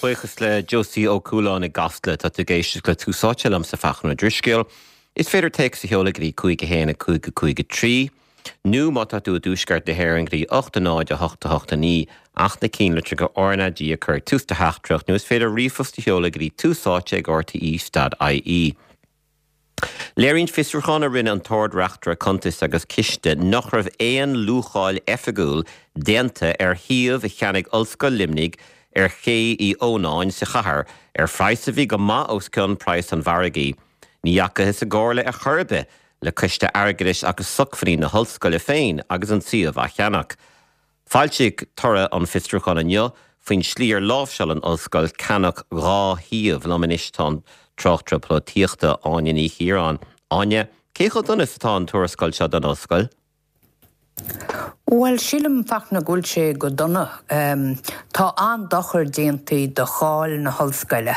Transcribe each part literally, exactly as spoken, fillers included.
Buíochas le Josie Ó Cualáin i gCasla. Tá tú ag éisteacht le Tús Áite liomsa Fachtna Ó Drisceoil. Is féidir téacs a sheoladh go dtí cúig a haon a cúig a cúig a trí, nó má tá tú i dtuaisceart na hÉireann go dtí ocht a náid a hocht a hocht a naoi ach na ceannlitreacha R na G a chur ag tús do theachtaireacht nó is féidir ríomhphost a sheoladh go dtí túsáite ag R T E dot I E. Léiríonn fiosrúchán a rinne an tArd-Reachtaire Cuntas agus Ciste nach raibh aon luacháil oifigiúil déanta ar shuíomh a cheannaigh Ollscoil Luimnigh ar Ché Uí Ónáin sa chathair ar phraghas a bhí go maith os cionn praghas an mhargaidh. Ní dheachathas i gcomhairle ar chor ar bith le coiste airgeadais agus sócmhainní na hollscoile féin agus an suíomh á cheannach. Foilsíodh toradh an fhiosrúcháin inniu faoin slí ar láimhseáil an ollscoil ceannach dhá shuíomh. Liom anois tá an tráchtaire polaitíochta Áine Ní Chiaráin. Áine, cé chomh dona is atá an tuarascáil seo don ollscoil? Well, sílim, Fachtna, go bhfuil sé go dona. Um, tá an-dochar déanta do cháil na hollscoile.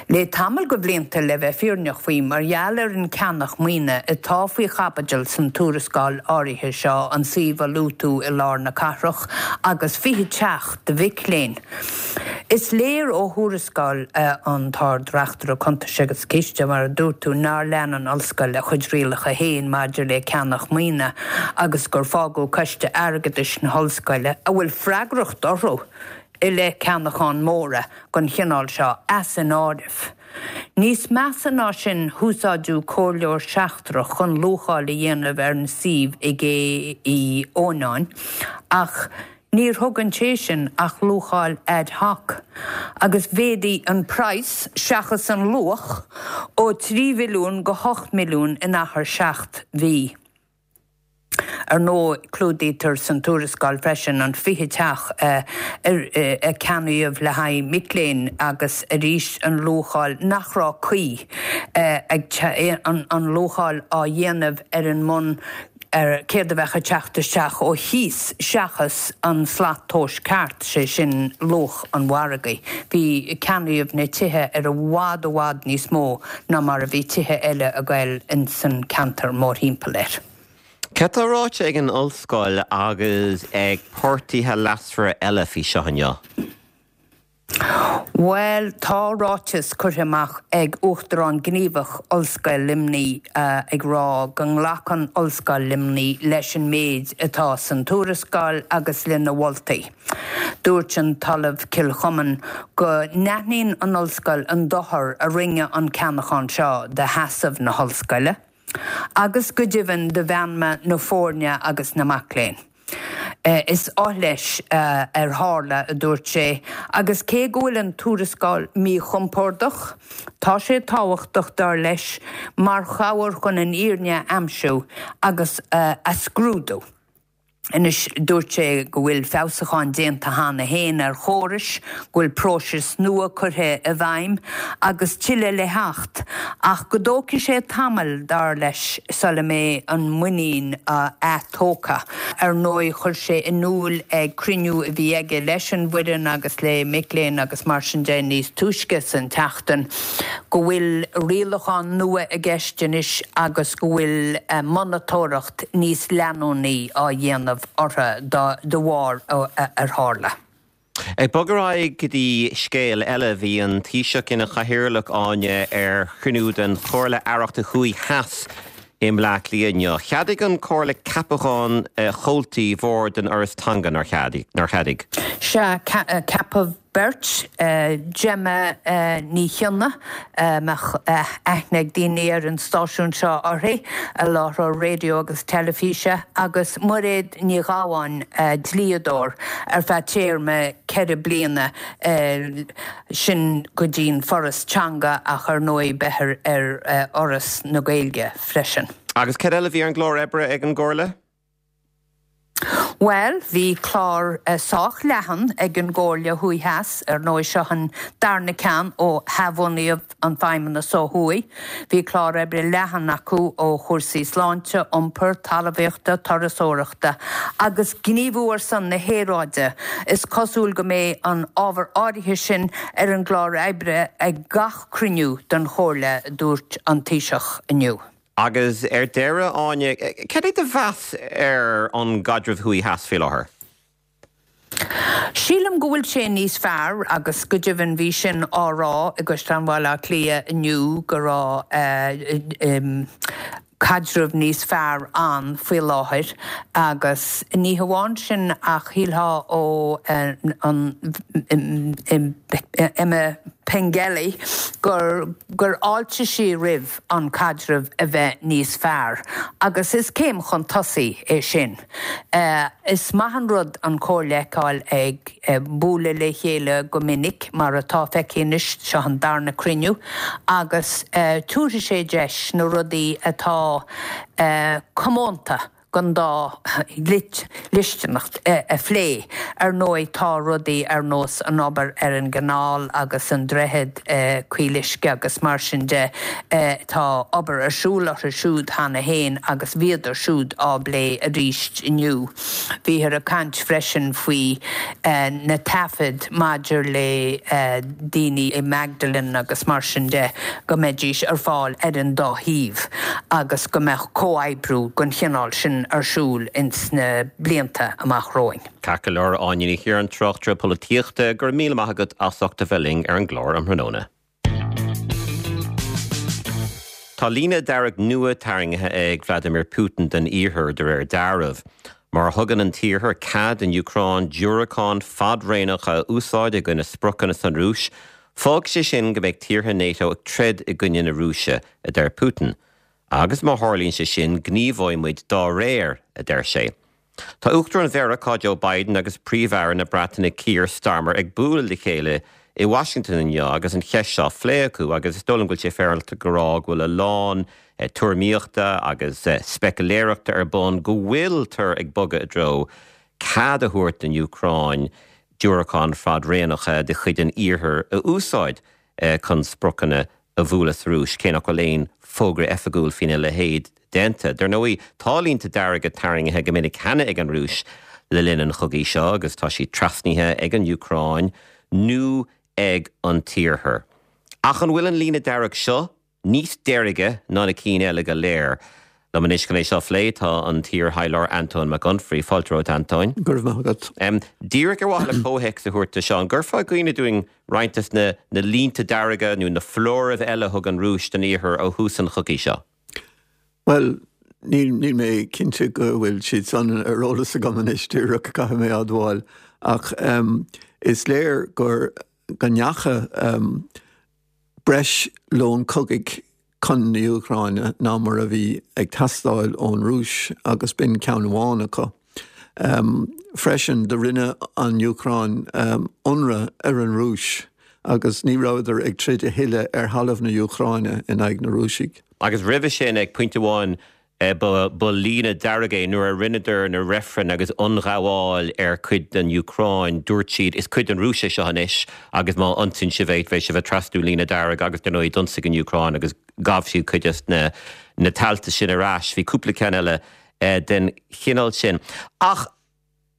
Le tamall de bhlianta, le bheith fírinneach faoi, mar gheall ar an ceannach maoine atá faoi chaibidil san tuarascáil áirithe seo, an suíomh a luaigh tú i lár na cathrach agus fiche teach do mhic léinn. Is léir ó thuarascáil uh, an tArd-Reachtaire Cuntas agus Ciste, mar a dúirt tú, nár lean an ollscoil a chuid rialacha féin maidir le ceannach maoine agus gur fágadh coiste airgeadais na hollscoile, a bhfuil freagracht orthu i leith ceannacháin móra den chineál seo, as an áireamh. Níos measa ná sin, húsáideadh comhairleoir seachtrach chun luacháil a dhéanamh ar an suíomh i gCé Uí Ónáin, ach níor thug an té sin ach luacháil ad hoc, agus mhéadaigh an praghas seachas an luach ó trí mhilliún go hocht milliún in achar seacht mhí. Ar ndóigh, clúdaítear san tuarascáil freisin an fiche teach uh, a ceannaíodh le haghaidh mic léinn agus arís an luacháil nach raibh cuí uh, ag an, an luacháil á dhéanamh ar an mbonn ar céard a bheadh ag teacht isteach ó chíos seachas an slat tomhais ceart, sé sin luach an mhargaidh. Bhí ceannaíodh na tithe ar i bhfad i bhfad níos mó ná mar a bhí tithe eile a gail in san ceantar mórthimpeall air. Cad tá ráite ag an ollscoil agus ag páirtithe leasmhara eile faoi seo inniu? Well, tá ráiteas curtha amach ag Uachtarán Gníomhach Ollscoil Luimnigh uh, ag rá go nglacann Ollscoil Luimnigh leis an méid atá san tuarascáil agus lena moltaí. Dúirt an tOllamh Kilchoman go n-aithníonn an ollscoil an dochar a rinne an ceannachán seo do sheasamh na hollscoile, agus go deimhin do mheanma na foirne agus na mac léinn. Uh, is oth leis uh, ar tharla, a dúirt sé, agus cé go bhfuil an tuarascáil míchompordach, tá sé tábhachtach, dar leis, mar chabhair chun an fhírinne a aimsiú agus uh, a scrúdú. Anois, dúirt sé go bhfuil feabhsúcháin déanta cheana féin ar chórais, go bhfuil próisis nua curtha i bhfeidhm agus tuilleadh le theacht, ach go dtógfaidh sé tamall, dar leis, sula mbeidh an muinín atógtha. Ar ndóigh, chuir sé in iúl ag cruinniú a bhí aige leis an bhfoireann agus le mic léinn agus mar sin de níos túisce san tseachtain go bhfuil rialacháin nua i gceist anois agus go bhfuil monatóireacht níos leanúnaí á dhéanamh orthu de bharr ar tharla. Ag bogadh ar aghaidh go dtí scéal eile, bhí an Taoiseach ina chathaoirleach, Áine, ar chruinniú den Chomhairle Aireachta Thuaidh Theas i mBleá Cliath inniu. Cheadaigh an Chomhairle ceapachán chomhaltaí bhord an Fhorais Teanga, nár cheadaigh? Sea, ceapadh beirt, Gemma Ní Chionnaith, mbeadh aithne ag daoine ar an stáisiún seo uirthi, láithreoir raidió agus teilifíse, agus Muiréad Ní Ghabháin, dlíodóir, ar feadh téarma ceithre bliana, sin go dtí'n Foras Teanga ach ar ndóigh beifear ar Fhoras na Gaeilge freisin. Agus cad eile bhí ar an gclár oibre ag an gComhairle? Well, bhí clár uh, sách leathan ag an gComhairle Thuaidh Theas. Ar ndóigh, seo an darna ceann ó athbhunaíodh an feidhmeannas ó thuaidh. Bhí clár oibre leathan acu ó chúrsaí sláinte, iompar, talmhaíochta, turasóireachta agus gníomhú ar son na haeráide. Is cosúil go mbeidh an ábhar áirithe sin ar an gclár oibre ag gach cruinniú den Chomhairle, dúirt an Taoiseach inniu. Agus ar deireadh, Áine, cad é do mheas ar an gcaidreamh thuaidh theas faoi láthair? Sílim go bhfuil sé níos fearr agus go deimhin bhí sin á rá i gCaisleán Bhaile Átha Cliath inniu go raibh caidreamh níos fearr ann faoi láthair agus ní hamháin sin ach shílfeá ó an Emma Pengelly gur gur fháiltigh sí roimh an caidreamh a bheith níos fearr agus is céim chun tosaigh é sin. Uh, is maith an rud an chomhairle a fheiceáil ag uh, bualadh le chéile go minic mar atá feicthe anois seo an darna cruinniú agus uh, tabharfaidh sé deis na rudaí atá uh, comónta don dá dhlisteanacht a phlé ar ndóigh tá rudaí ar nós an obair ar an gcanáil agus an droichead Caoluisce agus mar sin de tá obair ar siúl orthu siúd cheana féin agus bhíodar siúd á bplé arís inniu. Bhíothar ag caint freisin faoi na taifid maidir le daoine i Magdalene agus mar sin de go mbeidís ar fáil ar an dá thaobh agus go mbeadh comhoibriú den chineál sin ar siúl ins na blianta amach romhainn. Ceart go leor Áine Ní Chiaráin tráchtaire polaitíochta go raibh míle maith agat as ucht a bheith linn ar an gclár um thráthnóna. Tá líne dearg nua tarraingthe ag Vladimir Putin den iarthar de réir dealraimh. Má thugann an t-iarthar cead don Úcráin diúracáin fadréanacha a úsáid i gcoinne spriocanna san Rúis, fágfaidh sé sin go mbeidh tíortha NATO ag troid i gcoinne na Rúise, a deir Putin. Agus má tharlaíonn sé sin gníomhóidh muid dá réir, a deir sé. Tá Uachtarán Mheiriceá Joe Biden agus Príomh-Aire na Breataine Keir Starmer ag bualadh le chéile i Washington inniu agus an cheist seo á phlé acu agus is dóigh liom go bhfuil sé féaráilte go rá go bhfuil a lán eh, tuairimíochta agus eh, speiciléireachta ar bun go bhfuiltear ag bogadh i dtreo cead a thabhairt don Úcráin diúracáin fadréanacha de chuid an iarthair a úsáid eh, chun spriocanna a bhualadh sa Rúis cé nach bhfuil aon fógra oifigiúil faoina leithéid déanta. Dar ndóigh tá línte dearga tarraingthe go minic cheana ag an Rúis le linn an chogaidh seo agus tá siad trasnaithe ag an Úcráin nó ag an t-iarthar. Ach an bhfuil an líne dearg seo níos deirge ná na cinn eile go léir. Liom anois chun é seo a phlé tá an t-iarthaidhleoir Antóin Mac Unfraidh fáilte romhat Antóin. Go raibh maith agat. Um, díreach ar mhaithe le comhthéacs a thabhairt seo, an gcuirfeá i gcuimhne dúinn roinnt des na, na línte dearga nó na foláirimh eile a thug an Rúis don iarthar ó thús an chogaidh seo? Well, níl níl mé cinnte go bhfuil siad san ar eolas agam anois díreach caithfidh mé admháil ach um, is léir gur go ndeacha um, breis lón cogaidh chun na hÚcráine ná mar a bhí ag teastáil ón Rúis agus b'in ceann amháin acu. Um, freisin do rinne an Úcráin um, ionradh ar an Rúis agus ní rabhadar ag troid a thuilleadh ar thalamh na hÚcráine in aghaidh na Rúisigh. Agus roimhe sin ag pointe amháin eh, ba líne dearg é nuair a rinneadar na reifrinn agus ionghabháil ar cuid den Úcráin dúirt siad is cuid den Rúis é seo anois agus má ionsaíonn sibh é beidh sibh ag trasnú líne dearg agus dar ndóigh d'ionsaigh an Úcráin agus ghabh siad cuid des na na tailte sin ar ais bhí cúpla ceann eile eh, den chineál sin. Ach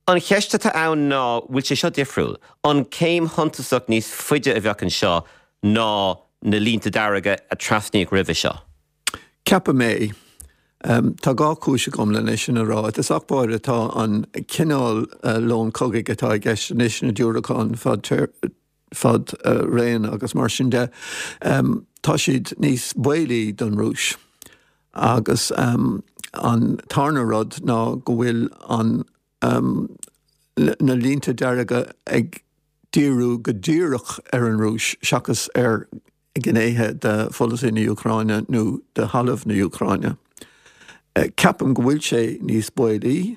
an cheist atá ann ná bhfuil sé seo difriúil. An céim shuntasach níos faide a bheadh anseo ná na línte dearga a trasnaíodh roimhe seo. Ceapaim é. Um, tá dhá chúis agam lena sin a rá, Is achbáir atá an cineál uh, lón cogaidh atá i gceist anois na diúracáin fad, fad uh, réin agus mar sin de. Um, tá siad níos baolaí don Rúis. Agus um, an tarna rud ná go bhfuil an um, na línte dearga ag díriú go díreach ar an Rúis seachas ar ghnéithe de pholasaí na hÚcráine nó de thalamh na hÚcráine. Eh, ceapaim go bhfuil sé níos baolaí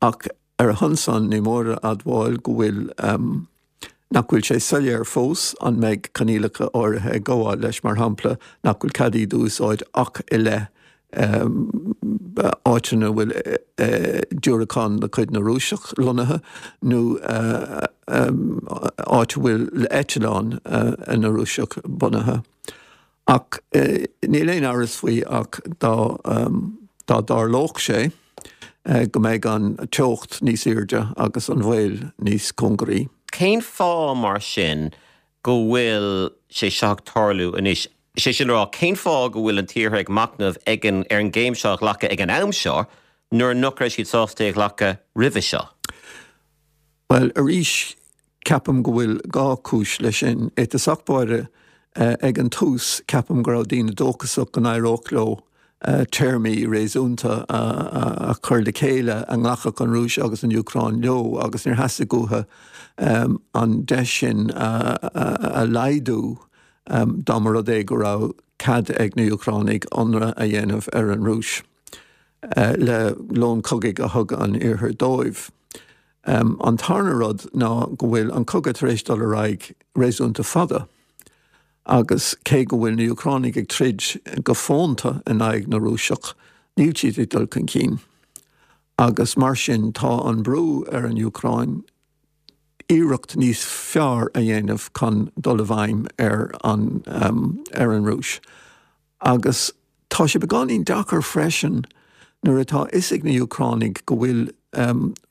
ach ar a shon san ní mór a admháil go bhfuil um, nach bhfuil sé soiléir fós an mbeidh coinníollacha áirithe ag gabháil leis mar shampla nach bhfuil cead iad a úsáid ach i leith um, áiteanna bhfuil uh, diúracáin de chuid na Rúiseach lonnaithe nó uh, um, áit bhfuil eitleáin uh, na Rúiseach bunaithe. Ach uh, níl aon amhras faoi ach dá um, dá dtarlódh sé eh, go mbeidh an teocht níos airde agus an bhaol níos cóngaraí. Cén fáth mar sin go bhfuil sé seo ag tarlú anois? Sé sin rá cén fáth go bhfuil an t-iarthar ag machnamh ag an ar an gcéim seo a ghlacadh ag an am seo nuair nach raibh siad sásta é a ghlacadh roimhe seo. Well arís Ceapaim go bhfuil dhá chúis leis sin. I dtosach báire, ag an tús, ceapaim go raibh daoine dóchasach go n-éireodh leo téarmaí réasúnta a chur le chéile a nglacfadh an Rúis agus an Úcráin leo agus níor theastaigh uathu an deis sin a laghdú dá mba rud é go raibh cead ag na hÚcránaigh ionradh a dhéanamh ar an Rúis le lón cogaidh a thug an Iarthar dóibh. An tarna rud ná go bhfuil an cogadh tar éis dul ar aghaidh réasúnta fada agus cé go bhfuil na Úcránaigh ag troid go fónta in aghaidh na Rúiseach, níl siad ag dul chun cinn. Agus mar sin tá an brú ar an Úcráin iarracht níos fearr a dhéanamh chun dul i bhfeidhm ar an ar an Rúis. Agus tá sé beagáinín deacair freisin nuair atá fhios ag na Úcránaigh go bhfuil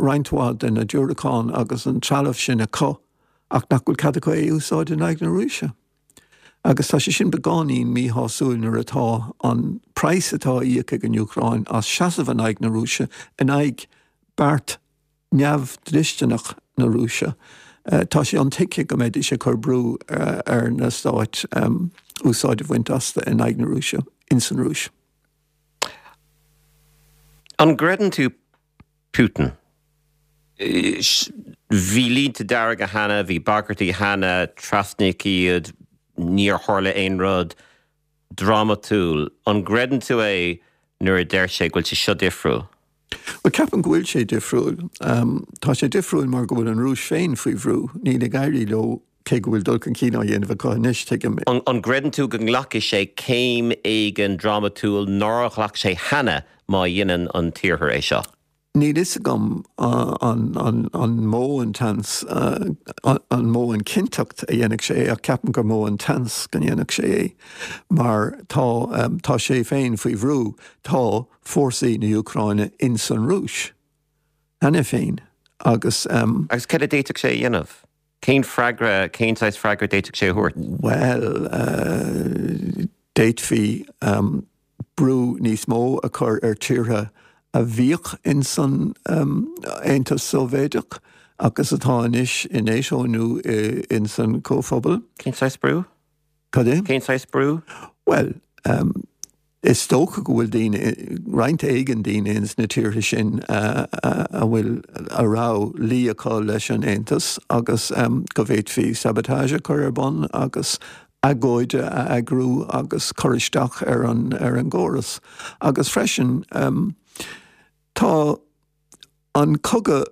roinnt mhaith de na diúracáin agus an trealamh sin acu ach nach bhfuil cead acu é a úsáid in aghaidh na Rúise. Agus tá sé sin beagáinín míshásúil nuair atá an praghas atá á íoc ag an Úcráin as seasamh in aghaidh na Rúise, in aghaidh beart neamhdhlisteanach na Rúise, tá sé intuigthe go mbeidís ag cur brú ar na stáit úsáid a bhaint astu in aghaidh na Rúise, ins an Rúis. An gcreideann tú Putin? Bhí línte dearga cheana, bhí bagairtí cheana, trasnaíodh iad, níor tharla aon rud drámatúil. An gcreideann tú é nuair a deir sé go bhfuil sé seo difriúil? Bhuel, ceapaim go bhfuil sé difriúil. Tá sé difriúil mar go bhfuil an Rúis féin faoi bhrú. Níl ag éirí leo, cé go bhfuil dul chun cinn á dhéanamh acu anois, tuigim. An gcreideann tú go nglacfaidh sé céim éigin drámatúil nár ghlac sé cheana má dhéanann an tIarthar é seo? Níl fhios agam an mó an tseans, an mó an chinnteacht a dhéanfadh sé é ach ceapaim gur mó an tseans go ndéanfadh sé é mar tá, tá sé féin faoi bhrú. Tá fórsaí na hÚcráine ins an Rúis cheana féin agus. Agus cad a d'fhéadfadh sé a dhéanamh? Cén freagra, cén saghas freagra d'fhéadfadh sé a thabhairt? Bhuel, d'fhéadfaí brú níos mó a chur ar tíortha a bhíodh ins an Aontas Sóivéadach agus atá anois i NATO nó ins an Chomhphobal. Cén saghas brú? Cad é? Cén saghas brú? Bhuel, is dócha go bhfuil daoine, roinnt éigin daoine ins na tíortha sin a bhfuil, a raibh luí acu leis an Aontas agus go bhféadfaí sabotage a chur ar bun agus agóid a eagrú agus cur isteach ar an ar an gcóras. Agus freisin tá an cogadh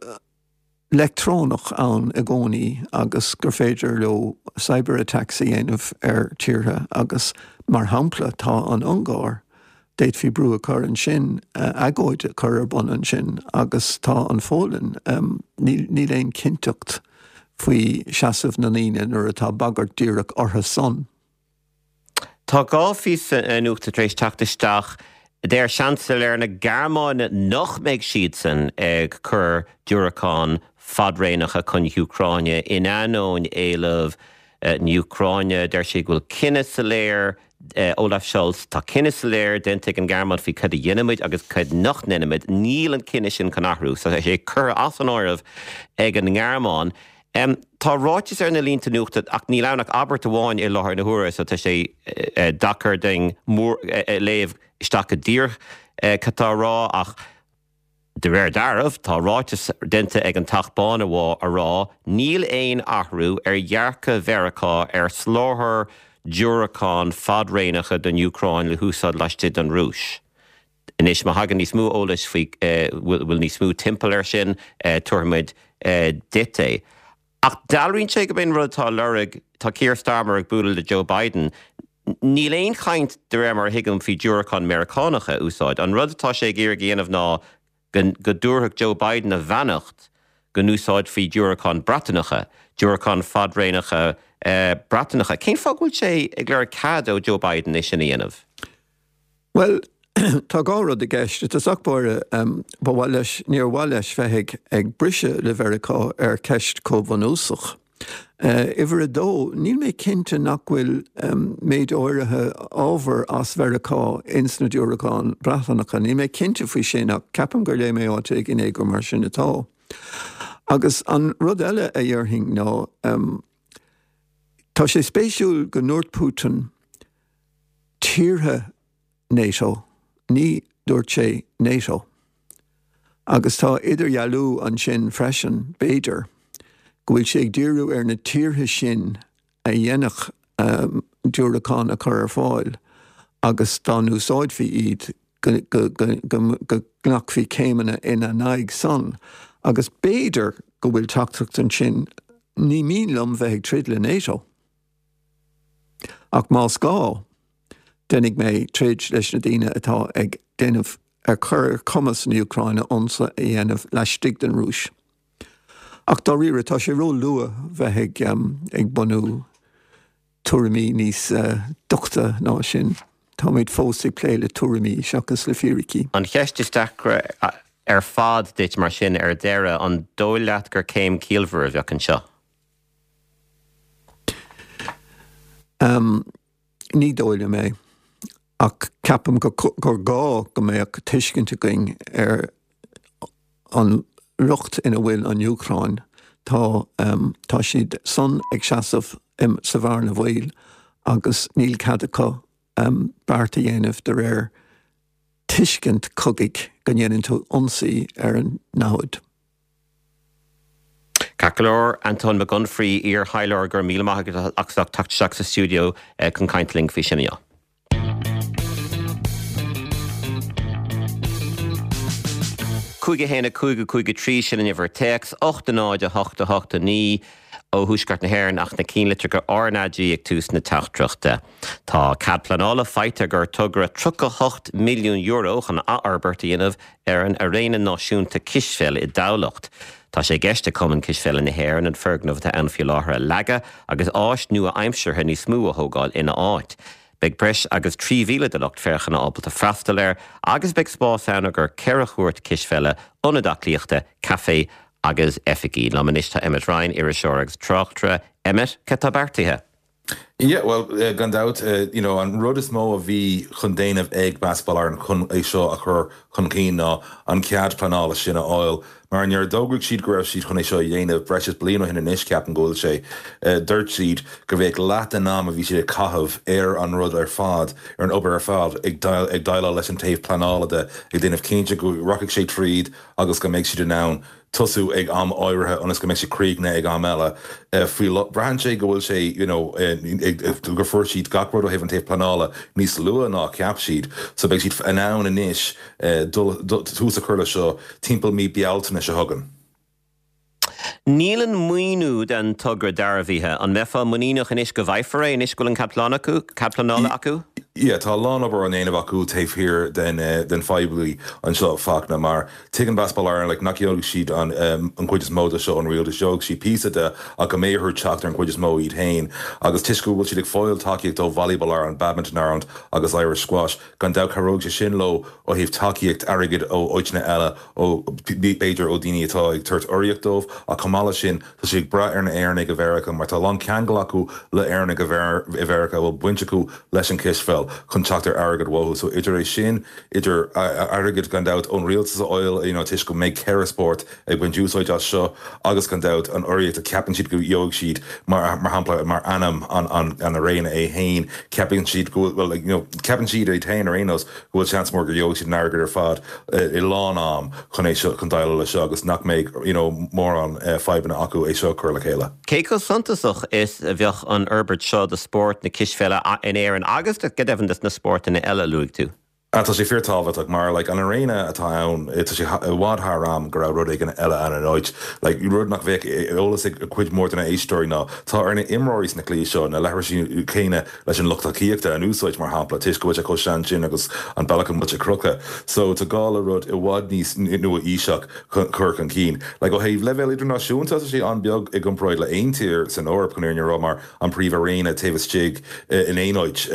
leictreonach ann i gcónaí agus gur féidir leo cyber attacks a dhéanamh ar tíortha agus mar shampla tá an Ungáir, d'fhéadfaí brú a chur ansin, agóid a chur ar bun ansin agus tá an Pholainn, níl níl aon chinnteacht faoi seasamh na ndaoine nuair atá bagairt díreach orthu san. Tá dhá phíosa nuachta tar éis teacht isteach. Deir Seansailéir na Gearmáine nach mbeidh siadsan ag cur diúracán fadréanacha chun na hÚcráine in ainneoin éileamh na hÚcráine. Deir sé go bhfuil cinneadh soiléir, Olaf Scholz, tá cinneadh soiléir déanta ag an nGearmáin faoi cad a dhéanfaimid agus cad nach ndéanfaimid. Níl an cinneadh sin chun athrú. So tá sé curtha as an áireamh ag an nGearmáin. Tá ráiteas ar na línte nuachta ach níl ann ach abairt amháin i láthair na huaire so tá sé deacair dúinn léamh isteach go díreach cad tá á rá ach de réir dealraimh tá ráiteas déanta ag an Teach Bán a rá níl aon athrú ar dhearcadh Mheiriceá ar soláthar diúracán fadréanacha don Úcráin le húsáid laistigh den Rúis. Anois, má thagann níos mó eolais faoi, bhfuil níos mó timpeall air sin, tabharfaimid duit é. Ach dealraíonn sé gurb é an rud atá á lorg, tá Keir Starmer ag bualadh le Joe Biden, níl aon chaint, de réir mar a thuigim, faoi diúracáin Meiriceánacha a úsáid. An rud atá sé ag iarraidh a dhéanamh ná go dtabharfadh Joe Biden a bheannacht go n-úsáidfí diúracáin Breatanacha, diúracáin fadréanacha Breatanacha. Cén fáth go bhfuil sé ag lorg cead ó Joe Biden é sin a dhéanamh? Bhuel, tá dhá rud i gceist. I dtosach báire, ba mhaith leis, níor mhaith leis bheith ag ag briseadh le Mheiriceá ar cheist chomh bunúsach. Uimhir a dó, níl mé cinnte nach bhfuil méid áirithe ábhar as Mheiriceá ins na diúracáin Breatanacha. Níl mé cinnte faoi sin ach ceapaim gur léigh mé áit éigin é gur mar sin atá. Agus an rud eile a dhéarfainn ná um, tá sé spéisiúil go ndúirt Putin tíortha NATO, ní dúirt sé NATO. Agus tá idirdhealú ansin freisin b'fhéidir, go bhfuil sé ag díriú ar na tíortha sin a dhéanfadh um, diúracáin a chur ar fáil agus dá n-úsáidfí iad go, go, go, go, go nglacfaí céimeanna ina n-aghaidh san. Agus b'fhéidir go bhfuil teachtaireacht ansin ní mian liom bheith ag troid le NATO. Ach más gá, déanfaidh mé troid leis na daoine atá ag déanamh ar chur ar cumas na Úcráine ionsaí a dhéanamh laistigh den Rúis. Ach dáiríre tá sé ró-luath bheith ag, um, ag bunú tuairimí níos uh, doichte ná sin. Táimid fós ag plé le tuairimí seachas le fíricí. An cheist is deacra ar fad duit mar sin ar deireadh an dóigh leat gur céim chiallmhar a bheadh anseo. Um, ní dóigh liom é ach ceapaim gur gá go mbeadh tuiscint againn ar an riocht ina bhfuil an Úcráin. Tá, um, tá siad san ag seasamh sa bhearna bhaoil agus níl cead acu um, beart a dhéanamh de réir tuiscint cogaidh go ndéanann tú ionsaí ar an namhaid. Ceart go leor Antóin Mac Unfraidh iar-thaidhleoir go raibh míle maith agat as ucht teacht isteach sa stiúideo eh, chun caint linn faoi sin inniu. Cúig a haon a cúig a cúig a trí sin an uimhir téacs, ocht a náid a hocht a hocht a naoi ó Thuaisceart na hÉireann ach na cinnlitreacha RnaG ag tús na teachtaireachta. Tá cead pleanála faighte ag togra tríocha hocht milliún euro chun athfhorbairt a dhéanamh ar an Airéine Náisiúnta Cispheile i dTamhlacht. Tá sé i gceist ag Cumann Cispheile na hÉireann an foirgneamh atá ann faoi láthair a leagadh agus áis nua-aimseartha níos mó a thógáil ina áit. Beidh breis agus trí mhíle de lucht féachana ábalta freastal air agus beidh spás ann i gcomhair ceithre chúirt cispheile, ionad aclaíochta, caife agus oifigí. Liom anois tá Emmet Ryan, iriseoir agus tráchtaire. Emmet, cad tá beartaithe? Yeah, well, uh, gan dabht, uh, you know, an rud is mó a bhí chun déanamh ag Basketball Ireland chun é seo a chur chun cinn ná an cead pleanála sin a fháil. Mar nuair a d'fhógraigh siad go raibh siad chun é seo a dhéanamh breis is bliain ó shin anois ceapaim go bhfuil sé, uh, dúirt siad go bheadh leath den am a bhí siad ag caitheamh ar an rud ar fad, ar an obair ar fad, ag ag déileáil leis an taobh pleanála de, ag déanamh cinnte go rachaidh sé tríd agus go mbeidh siad in ann tosú ag am áirithe ionas go mbeidh sé críochnaithe ag am eile. Faoi braitheann sé go bhfuil sé you know, gur fuair siad gach rud ó thaobh an taobh pleanála níos luaithe ná a cheap siad. So beidh siad in ann anois tús a chur leis seo timpeall mí Bealtaine seo chugainn. Níl an maoiniú den togra dearbhaithe. An mbeifeá muiníneach anois go bhfaighfear é anois go bhfuil an cead pleanála acu? Yeah, tá a lán obair á ndéanamh acu taobh thiar den den phoiblí anseo Fachtna mar tuigeann Basketball Ireland like, nach gheobhaidh siad an an chuid is mó de seo ón rialtas, gheobhaidh siad píosa de ach go mbeidh orthu teacht ar an chuid is mó iad féin agus toisc go bhfuil siad ag fáil tacaíocht ó Volleyball Ireland, Badminton Ireland agus Irish Squash, gan dabht cabhróidh sé sin leo ó thaobh tacaíocht airgid ó áiteanna eile ó b'fhéidir ó daoine atá ag tabhairt urraíocht dóibh ach chomh maith leis sin tá siad ag brath ar na Éireannaigh i Mheiriceá mar tá a lán ceangal acu le Éireannaigh i Mheiriceá a bhfuil baint acu leis an cispheil chun teacht ar airgead uathu. So idir é sin, idir airgead gan dabht ón rialtas a fháil you know, toisc go mbeidh ceithre spórt ag baint úsáid as seo agus gan dabht an urraíocht a ceapann siad go gheobhaidh siad mar mar shampla mar ainm an an an airéine é féin ceapann siad go well like, you know, ceapann siad iad féin ar aon nós go bhfuil seans mór go gheobhaidh siad an airgead ar fad i lán am chun é seo chun déileáil leis seo agus nach mbeidh you know, mórán fadhbanna acu é seo a chur le chéile. Cé chomh suntasach is a bheadh an fhorbairt seo do spórt na cispheile in Éirinn agus go deimhin do na spórtanna eile a luaigh tú? Tá sé fíorthábhachtach mar like, an airéine atá ann tá sé i bhfad thar am go raibh rud éigin eile ann ina áit. Like, rud nach bheadh eolas ag cuid mhór de na héisteoirí ná tá ar na imreoirí sna cluichí seo na leithrisí céanna leis an lucht tacaíochta a úsáid mar shampla toisc go bhfuil sé chomh sean sin agus an bealach a bhfuil sé crochta. So tá gá le rud i bhfad níos nua-aoiseach chur chun cinn. Like, ó thaobh leibhéal idirnáisiúnta tá sé an-bheag i gcomparáid le aon tír san Eoraip chun fhírinne a rá mar an príomh-airéine taobh istigh in aon áit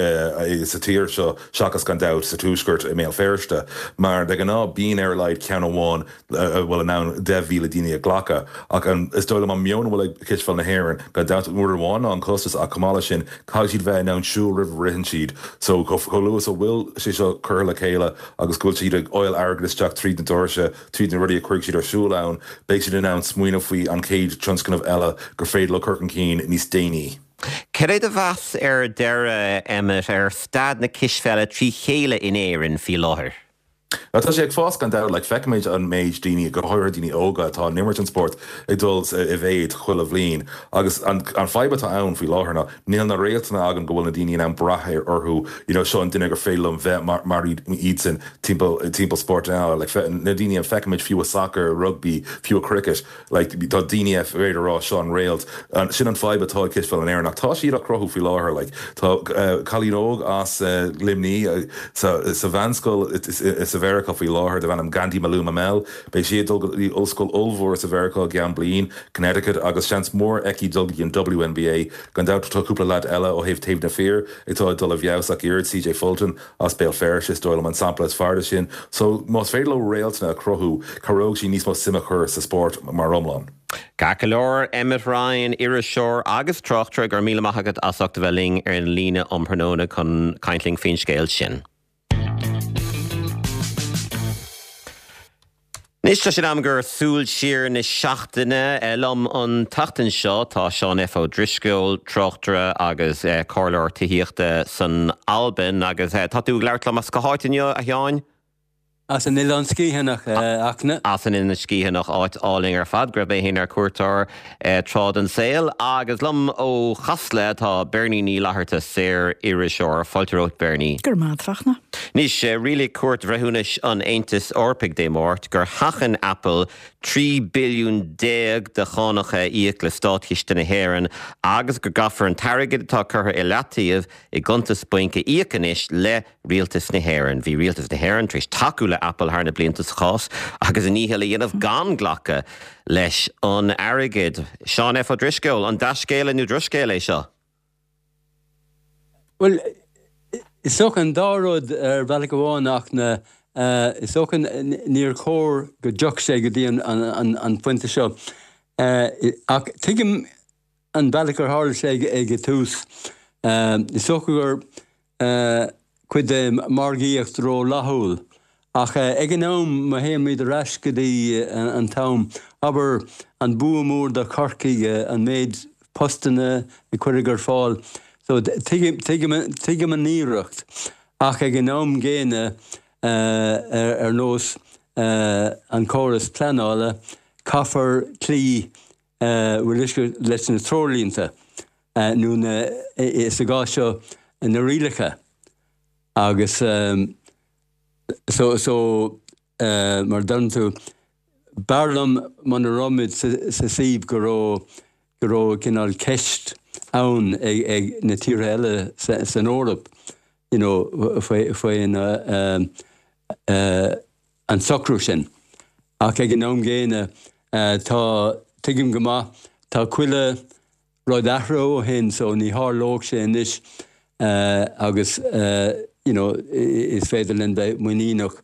sa tír seo seachas gan dabht sa Tuaisceart. tuaisceart i mBéal Feirste, mar de ghnáth bíonn ar a laghad ceann amháin a bhfuil in ann deich mhíle daoine a ghlacadh. Ach an is dóigh liom an meon a bhfuil ag Cispheil na hÉireann gan dabht uair amháin ná an costas ach chomh maith leis sin caithfidh siad bheith in ann siúl roimh a ritheann siad. So chomh luath is a bhfuil sé seo curtha le chéile agus go bhfuil siad ag fáil airgead isteach tríd na doirse, tríd na rudaí a chuirfidh siad ar siúl ann, beidh siad in ann smaoineamh faoi an chéad tionscnamh eile gur féidir leo cur chun cinn níos déanaí. Cad é do mheas ar deireadh, Emmet, ar staid na cispheile trí chéile in Éirinn faoi láthair? Tá sé ag fás gan dabht, like feicimid an méid daoine go háirithe daoine óga atá ag imirt an spórt ag dul i méid chuile bhliain agus an an fadhb atá ann faoi láthair ná níl na réaltanna againn go bhfuil na daoine in ann brath ar orthu you know seo an duine gur féidir liom bheith mar mar iadsan timpeall timpeall spórt eile like na daoine a feicimid fiú i soccer, rugby, fiú i cricket like tá daoine a féidir rá seo an réalt sin an fadhb atá ag cispheil in Éirinn ach tá siad á cruthú faoi láthair like tá uh, cailín óg as uh, Luimní uh, sa sa mheánscoil sa Mheiriceá faoi láthair darb ainm Gandhi Maluma Mel beidh sí ag dul go dtí ollscoil ollmhór sa Mheiriceá i gceann bliain Connecticut agus seans mór aici dul go dtí an W N B A. Gan dabht tá cúpla leaid eile ó thaobh taobh na fir atá ag dul i bhfeabhas ach oiread C J Fulton as Béal Feirste is dóigh liom an sampla is fearr de sin. So más féidir leo réaltanna a chruthú cabhróidh sí níos mó suim a chur sa spórt mar iomlán. Ceart go leor Emmet Ryan, iriseoir agus tráchtaire, go raibh míle maith agat as ucht a bheith linn ar an líne um thráthnóna chun caint linn faoin scéal sin. Anois tá sé in am gur súil siar na seachtaine liom an tseachtain seo tá Seán F Ó Drisceoil, tráchtaire agus comhairleoir tithíochta san Albain agus tá tú ag labhairt liom as cá háit inniu a Sheáin? As an Oileán Sgitheanach, a Fhachtna. As an Oileán Sgitheanach áit álainn ar fad, go raibh mé féin ar cuairt air tráth den saol. Agus liom ó Chasla tá Bernie Ní Fhlatharta, saor-iriseoir. Fáilte romhat Bernie. Go raibh maith agat, a Fhachtna. Anois, rialaigh Cúirt Bhreithiúnais an Aontais Eorpaigh Dé Máirt gur sheachain Apple trí billiún déag de chánacha a íoc le státchiste na hÉireann agus go gcaithfear an t-airgead atá curtha i leataobh i gcuntas bainc a íoc anois le rialtas na hÉireann. Bhí rialtas na hÉireann tar éis tacú le Apple thar na blianta sa chás agus a ndícheall a dhéanamh gan glacadh leis an airgead. Seán F Ó Drisceoil, an dea-scéala nó drochscéal é seo? Bhuel, is dócha an dá rud ar bhealach amháin ach na is dócha níor chóir go dtiocfadh sé go dtí an pointe seo. Ach tuigim an bealach ar tharla sé ag an tús. Is dócha gur cuid de margaíocht rófhlaithiúil. Ach ag an am, má théimid ar ais go dtí an t-am, abair, an bua mór do Chorcaigh, an méid postanna a cuireadh ar fáil. So tuigim, tuigim, tuigim an iarracht. Ach ag an am gcéanna, ar nós an córas pleanála, caithfear cloí leis na treoirlínte, nó na, sa gcás seo, na rialacha. Agus so, so mar a deireann tú, b'fhearr liom muna raibh muid sa suíomh go raibh, go raibh cineál ceist ann ag, ag na tíortha eile san Eoraip, you know, faoi, faoin an socrú sin. Ach ag an am gcéanna, tá, tuigim go maith, tá chuile rud athraithe ó shin so ní tharlódh sé anois agus you know is féidir linn bheith muiníneach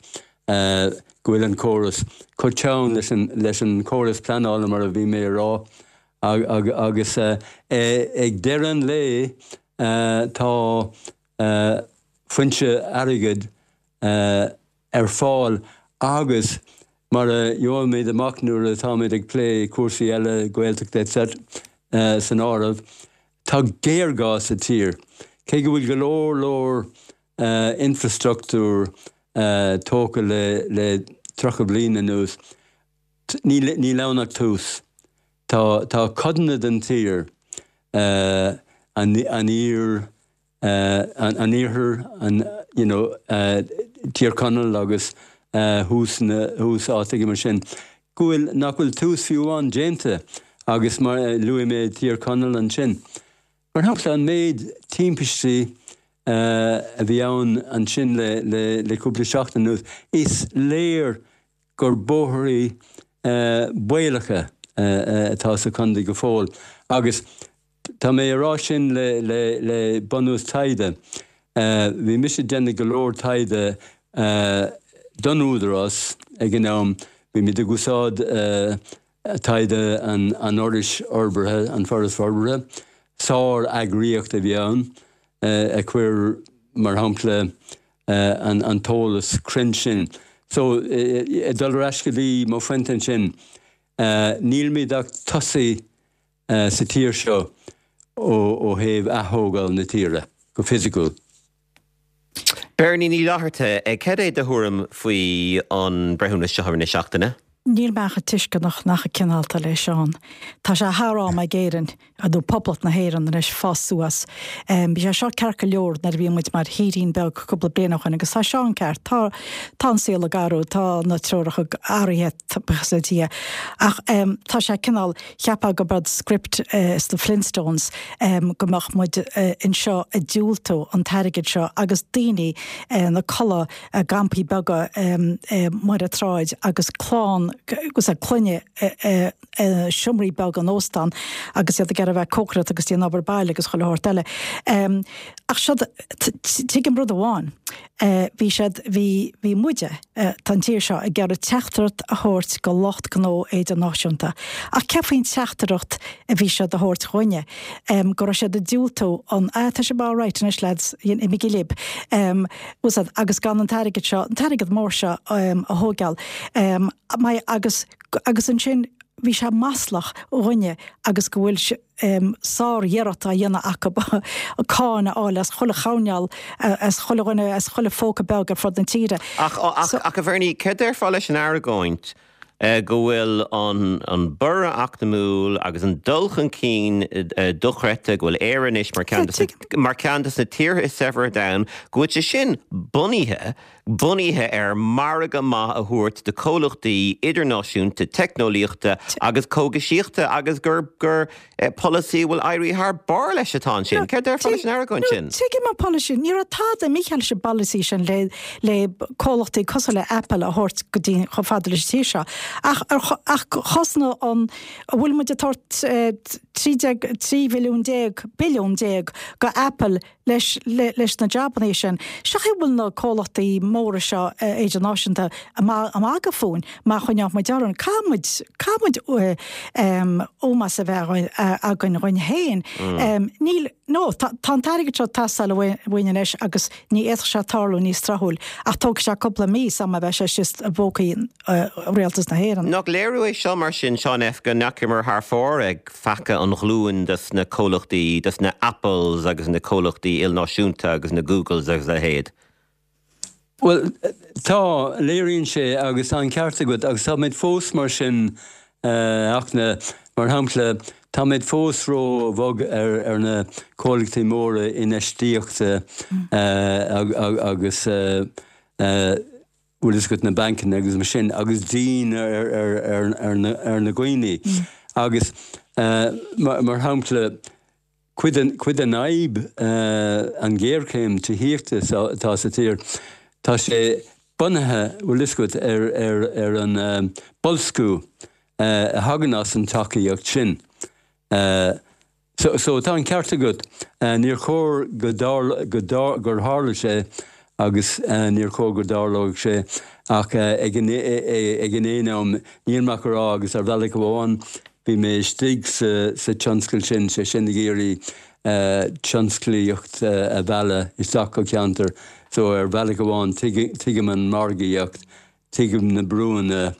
go bhfuil an córas chomh teann leis an leis an chóras pleanála mar a bhí mé a rá agus ag deireadh an lae tá foinse airgid ar fáil agus mar a gheobhaimid amach nuair atáimid ag plé cúrsaí eile, Gaeltachta et cetera san áireamh, tá géarghá sa tír. Cé go bhfuil go leor leor infrastruchtúr tógtha le tríocha bliain anuas, níl ann ach tús. Tá codanna den tír, an iar, an iarthar, an you know Tír Chonaill agus thuas na thuas áiteacha mar sin, go bhfuil nach bhfuil tús fiú amháin déanta agus mar luaigh mé Tír Chonaill ansin. Mar shampla an méid timpistí a bhí ann ansin le le le cúpla seachtain anuas, is léir gur bóithrí baolacha atá sa chontae go fóill agus Tá mé ag rá sin le bunús taighde. Bhí mise ag déanamh go leor taighde don Údarás ag an am, bhí muid ag úsáid taighde an Fhorais Fhorbartha, an Foras Forbartha, sár-eagraíocht a bhí ann, a chuir, mar shampla, an t-eolas cruinn sin. So, ag dul ar ais go dtí mo phointe ansin, nílimid ach tosaithe sa tír seo ó thaobh ath-thógáil na tíre, go fisiciúil. Beirní Ní Fhlatharta, cad é do thuairim faoi an breithiúnas seo na seachtaine? Níl mé ach tuisceanach ná cineálta le Seán. Tá sé thar am ag Éirinn, nó Poblacht na hÉireann anois, fás suas. Bhí sé seo ceart go leor nuair a bhí muid mar thírín beag cúpla bliain ó shin agus tá Seán ceart, tá tá an saol ag athrú, tá na treoracha athraithe, buíochas le Dia. Ach tá sé cineál, cheapfá gurb é script sna Flintstones go mbeadh muid anseo ag diúltú an t-airgead seo agus daoine ina codladh i gcampaí beaga ar an tsráid agus clann agus a clainne i seomraí beaga in óstán agus iad ag iarraidh a bheith ag cócaireacht agus déanamh obair baile agus chuile shórt eile. Ach seo, tuigim rud amháin, bhí siad, bhí, bhí muide, tá an tír seo ag iarraidh teachtaireacht a thabhairt go lucht gnó idirnáisiúnta. Ach céard faoin teachtaireacht a bhí siad a thabhairt dhúinne? Go raibh siad ag diúltú an, ah, tá sibh alright anois lads, imígí libh, agus gan an t-airgead seo, an t-airgead mór seo a thógáil. Agus, agus ansin bhí sé maslach dhúinne agus go bhfuil sár-iarracht á dhéanamh acu cáin a fháil as chuile choirnéal, as chuile dhuine, as chuile phóca beag ar fud na tíre. Ach, ach, ach a Bhernie, céard déarfá leis an argóint go bhfuil an, an borradh eacnamúil agus an dul chun cinn dochreidte, go bhfuil Éire anois mar cheann de, mar cheann de na tíortha is saibhre ar domhan, go bhfuil sé sin bunaithe bunaithe ar margadh maith a thabhairt do chomhlachtaí idirnáisiúnta teicneolaíochta agus cógaisíochta agus gur gur polasaí a bhfuil éirithe thar barr leis atá ansin. Céard déarfá leis an argóint sin? Tuigim an polasaí. Ní raibh tada mícheart leis an bpolasaí sin le le comhlachtaí cosúil le Apple a thabhairt go dtí chomh fada leis an tír seo. Ach ach chosnódh an an bhfuil muid ag tabhairt trí déag trí bhilliún déag billiún déag go Apple leis leis na jabanna sin. Seo chaoi a bhfuil na comhlachtaí móra seo idirnáisiúnta ag magadh fúinn má choinneoidh muid orainn. Caithfidh muid, caithfidh muid ómós a bheith againn dhúinn féin. Níl, no, tá an t-airgead seo ag teastáil uainn anois agus ní fhéadfadh sé tarlú níos tráthúil ach tógfaidh sé cúpla mí sula mbeidh sé síos i bpócaí Rialtas na hÉireann. Nach léiriú é seo mar sin, Seán F, go ndeachamar thar fóir ag feacadh an ghlúin dos na comhlachtaí, dos na Apples agus na comhlachtaí ilnáisiúnta agus na Googles agus a leithéid? Bhuel, tá, léiríonn sé agus tá an ceart agat agus táimid fós mar sin ach na, mar shampla, táimid fós ró-bhog ar ar na comhlachtaí móra infheistíochta agus bhfuil fhios agat na bancanna agus mar sin agus dian ar ar ar ar na ar na dhaoine agus mar mar shampla cuid den cuid den fhadhb an ghéarchéim tithíochta atá sa tír tá sé bunaithe bhfuil fhios agat ar ar ar an boilsciú a thagann as an tacaíocht sin. So, so tá an ceart agat, níor chóir go dtarl, go dtar, gur tharla sé agus níor chóir go dtarlódh sé ach ag an, ag an aon am, níl mé ach a rá agus ar bhealach amháin bhí mé istigh sa, sa tionscal sin, sé sin ag iarraidh tionsclaíocht a mhealladh isteach go ceantar. So ar bhealach amháin tuigim an margaíocht, tuigim na brúanna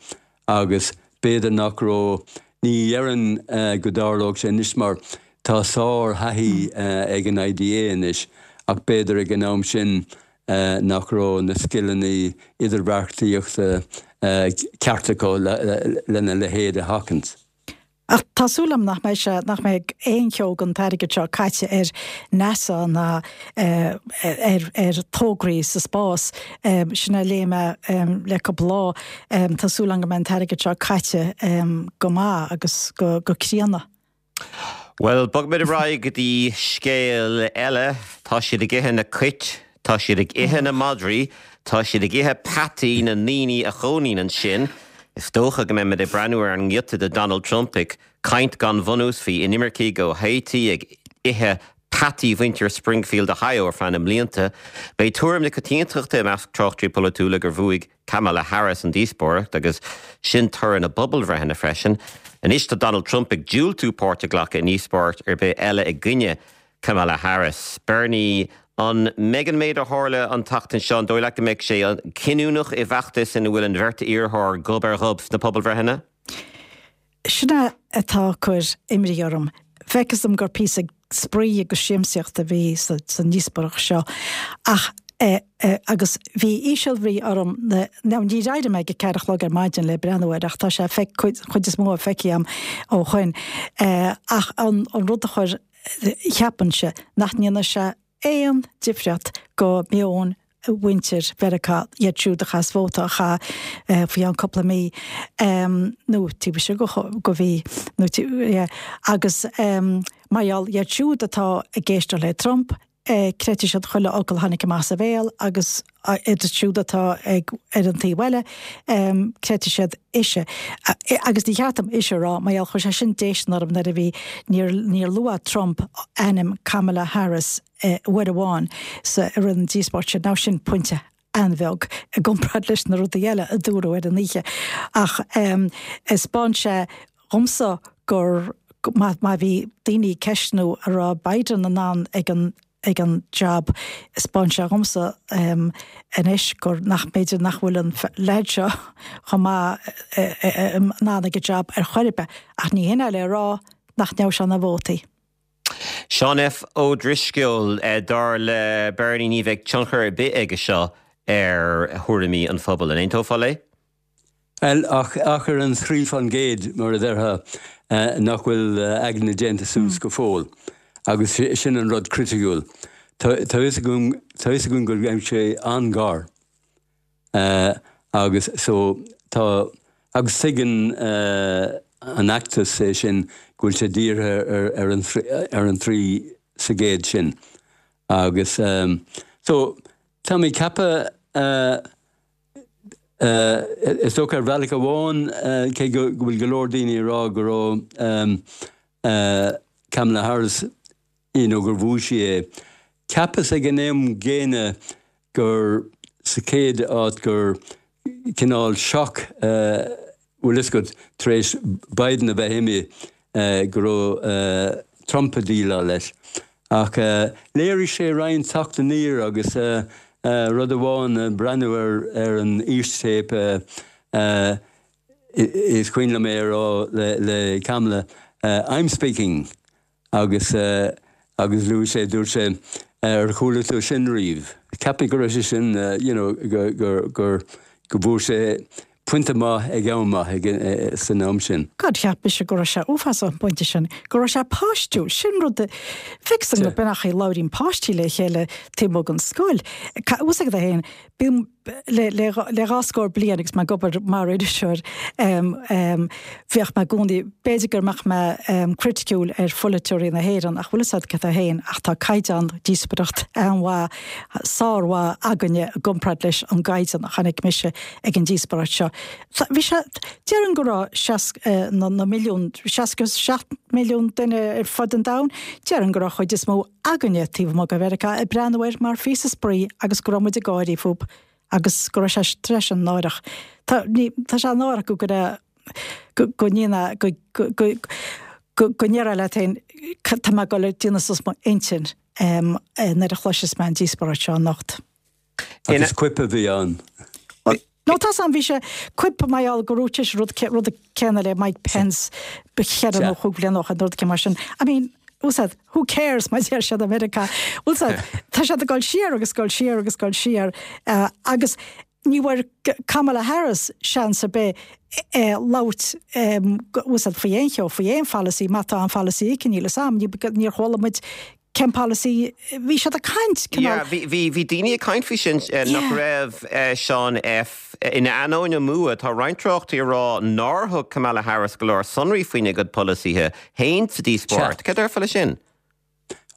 agus b'fhéidir nach raibh, ní dhéarfainn go dtarlódh sé anois mar tá sár-thaithí ag an IDA anois ach b'fhéidir ag an am sin nach raibh na scileanna idirbheartaíochta ceart acu lena leithéid a sheachaint. Ach tá súil agam nach mbeidh sé, nach mbeidh aon cheo den t-airgead seo caite ar NASA ná ar ar tograí sa spás. Sin a léigh mé le cúpla lá. Tá súil agam go mbeidh an t-airgead seo caite go maith agus go go críonna. Bhuel, bogfaimid ar aghaidh go dtí scéal eile. Tá siad ag ithe na cait, tá siad ag ithe na madraí, tá siad ag ithe peataí na ndaoine a chónaíonn ansin. Is dócha go mbeimid ag breathnú ar an ngiota de Donald Trump ag caint gan bhunús faoi inimircigh ó Haiti ag ithe peataí mhuintir Springfield, Ohio ar feadh na mblianta. B'é tuairim na coitiantachta i measc tráchtairí polaitiúla gur bhuaigh Kamala Harris an díospóireacht agus sin toradh na bpobalbhreitheanna freisin. Anois tá Donald Trump ag diúltú páirt a ghlacadh i ndíospóireacht ar bith eile i gcoinne Kamala Harris. Bernie an mbeidh an méid a tharla an tseachtain seo an dóigh leat go mbeidh sé cinniúnach i bhfeachtas ina bhfuil an bheirt iarrthóir gob ar ghob sna pobalbhreitheanna? Sin é atá ag cur imní orm. Feictear dom gur píosa spraoi agus siamsaíocht a bhí sa ndíospóireacht seo ach eh, eh, agus bhí ísealbhrí orm ná ní d'éirigh mé ag ceathair a chlog ar maidin le breathnú air ach tá sé feic chuid is mó feicthe agam ó shin eh, ach an, an rud a chuir cheapfainnse nach ndéanfaidh sé aon difríocht go meon mhuintir Mheiriceá iad siúd a chas vóta a chaith eh, faoi an cúpla mí um, nó tí se go go bhí nó yeah, agus um, mar iad siúd atá ag éisteacht le Trump eh, creidfidh siad chuile fhocal tháinig amach as a bhéal agus iad siúd atá ag ar an taobh eile um, creidfidh siad ise. Agus ní cheart dom ise rá mar chuir sé sin déistin orm nuair a bhí níor níor luaigh Trump ainm Kamala Harris eh, uair amháin sa rud an díospóireacht sin ná sin pointe an-bheag i gcomparáid leis na rudaí eile a dúradh ar an oíche. Ach um, thaispeáin sé dhomsa gur má má bhí daoine ceistiú an raibh Biden in ann ag an ag an job thaispeáin sé dhomsa um, anois gur nach b'fhéidir nach bhfuil an leaid seo chomh maith in ann ag an job ar chor ar bith ach ní hin le rá nach ndeachaigh sé na vótaí. Seán F. Ó Drisceoil dar le Bernie ní bheidh tionchar ar bith aige seo ar thuairimí an phobail an aontófá léi? Well ach ach ar an trí faoin gcéad mar a déarfá nach bhfuil aigne déanta suas go fóill. agus sin an rud criticiúil. Tá gon go raibh sé an-ghar. Uh, agus so tá agus tuigeann uh, an feachtas é sin go bhfuil sé dírithe ar, ar, an, ar an trí sa gcéad sin. Agus um, so tá mé ag ceapadh uh, uh, is dócha ar bhealach amháin uh, cé go bhfuil go leor daoine rá go raibh um, uh, Kamala Harris you know, gur bhuaigh sí é. Cheapas ag an am gcéanna gur sa chéad áit gur cineál shock uh, bhfuil fhios agat tar éis Biden a bheith imithe uh, go raibh uh, Trump ag déileáil leis. Ach uh, léirigh sé roinnt teacht aniar agus uh, uh, rud amháin uh, breathnú ar, ar an fhístéip uh, uh, is cuimhin liom é rá le, le Kamala uh, I'm speaking agus uh, agus luaigh sé dúirt sé ar chuala tú sin riamh. Ceapaim go raibh sé sin uh, you know, gur gur gur go bhfuair sé pointe maith ag am maith ag san am sin. God cheap mise go raibh sé uafásach an pointe sin, go raibh sé páistiúil sin rud fix an go beach é labhraíonn páistí le chéile taobh amuigh den scoil. Ús ag héin le le dhá scór bliain agus mé ag obair mar iriseoir bheadh mé i gcónaí b'fhéidir go mbeadh mé criticiúil ar pholaiteoirí na hÉireann ach bhfuil siad cad héin ach tá caighdeán díospóireacht an-mhaith sármhaith againne i gcomparáid leis an gcaighdeán a chonaic mise ag an díospóireacht seo. Bhí sé déarfainn go raibh na na milliún seacht milliún duine ar fud an domhain, déarfainn go raibh an chuid is mó againne taobh amuigh de Mheiriceá ag breathnú air mar phíosa spraoi agus go raibh muid ag gáirí fúthu agus go raibh sé treis an náireach. Tá tá sé náireach go go go ndéana go go go go ndéarfá leat féin tá mé ag dul ag déanamh suas mo intinn nuair a chloiseas mé an díospóireacht seo anocht. Agus quip a bhí ann. No tá an bhí sé quip mar go raibh sé rud rud céanna le Mike Pence b'fhéidir nó chúig bliana ó shin rud mar sin. I mean, said, who cares mar deir siad America said, tá sé ag dul siar agus dul siar agus dul siar uh, agus ní bhfuair Kamala Harris seans ar bith eh, labhairt um, faoi aon cheo faoi aon pholasaí má tá an pholasaí aici le sam níor chuala muid cén policy bhí sé ag caint Bhí bhí daoine ag caint faoi sin nach raibh Seán F in ainneoin a mbua tá roinnt tráchtairí ag rá nár thug Kamala Harris go leor sonraí faoina gcuid polasaithe féin sa díospóireacht. Cad déarfá leis sin?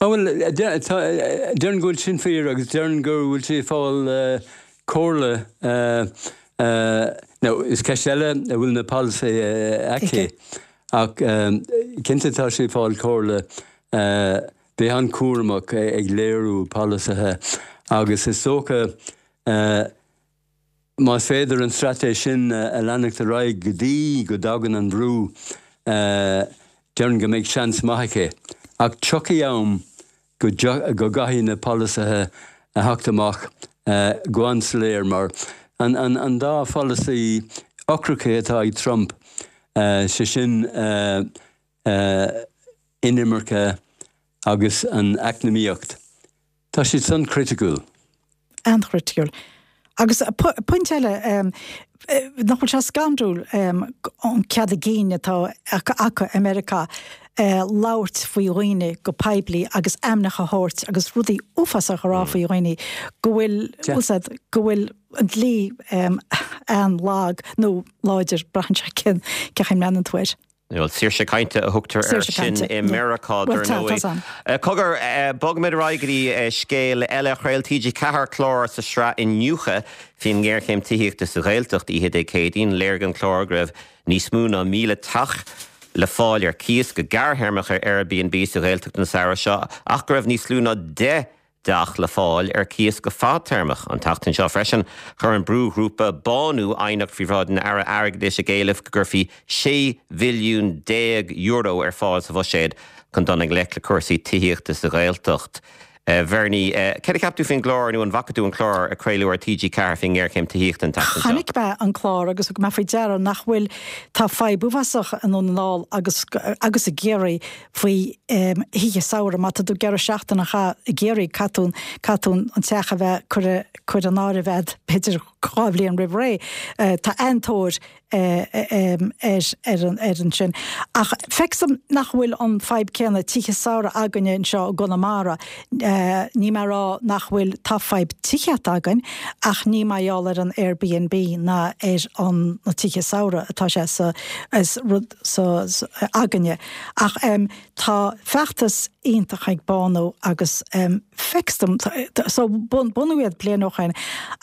Bhuel déarfainn go bhfuil sin fíor agus déarfainn go bhfuil sí ag fáil comhairle nó is ceist eile a bhfuil na polasaithe aici ach cinnte tá sí ag fáil comhairle bheith an-chúramach ag léiriú polasaithe agus is dócha más féidir an straitéis sin a leanacht ar aghaidh go dtí go dtagann an brú, déarfainn go mbeidh seans maith aici. Ach tiocfaidh am go gcaithfidh na polasaithe a theacht amach go an-soiléir mar an dá pholasaí ocracha atá ag Trump, sé sin inimirce agus an eacnamaíocht, tá siad san criticiúil. An-chriticiúil. Agus pointe eile, nach bhfuil sé scanrúil an cead a gcinn atá acu i Meiriceá labhairt faoi dhaoine go poiblí agus ainmneacha a thabhairt agus rudaí uafásacha a rá faoi dhaoine go bhfuil, bhfuil go bhfuil an dlí an-lag nó láidir, braitheann sé cén chaoi a mbreathnaíonn tú air. Bhuel, saoirse cainte a thugtar air sin i Meiriceá, dar ndóigh. Cogar, bogfaimid ar aghaidh go dtí scéal eile. Chraol T G Ceathair clár sa sraith Iniúchadh faoin ngéarchéim tithíochta sa Ghaeltacht oíche Dé Céadaoin. Léirigh an clár go raibh níos mó ná míle teach le fáil ar cíos go gearrthéarmach ar Airbnb sa Ghaeltacht an samhradh seo ach go raibh níos lú ná deich dteach le fáil ar cíos go fadtéarmach. An tseachtain seo freisin, chuir an brúghrúpa Bánú aighneacht faoi bhráid an Aire Airgeadais ag éileamh go gcuirfí sé bhilliún déag euro ar fáil sa bhuiséad chun dul i ngleic le cúrsaí tithíochta sa Ghaeltacht. Bhernie, céard a cheap tú faoin gclár nó an bhfaca tú an clár a craoladh ar T G Ceathair faoin ngéarchéim tithíochta an tseachtain seo? Chonaic mé an clár agus thug mé faoi deara nach bhfuil, tá fadhb uafásach i nDún na nGall agus agus i gCiarraí faoi thithe samhraidh. Má tá tú ag iarraidh seachtain a chaitheamh i gCiarraí, caithfidh tú, caithfidh tú an teach a bheith curtha, curtha in áirithe agat b'fhéidir dhá bhliain roimh ré. Tá an-tóir ar, ar an, ar an sin. Ach feictear dom nach bhfuil an fadhb céanna tithe samhraidh againne anseo i gConamara. Níl mé ag rá nach bhfuil, tá fadhb tithíochta againn ach ní mar gheall ar an Airbnb ná ar an, na tithe samhraidh atá sé sa, is rud sa, againne. Ach tá feachtas iontach ag Bánú agus feictear dom, so bunaíodh iad bliain ó shin,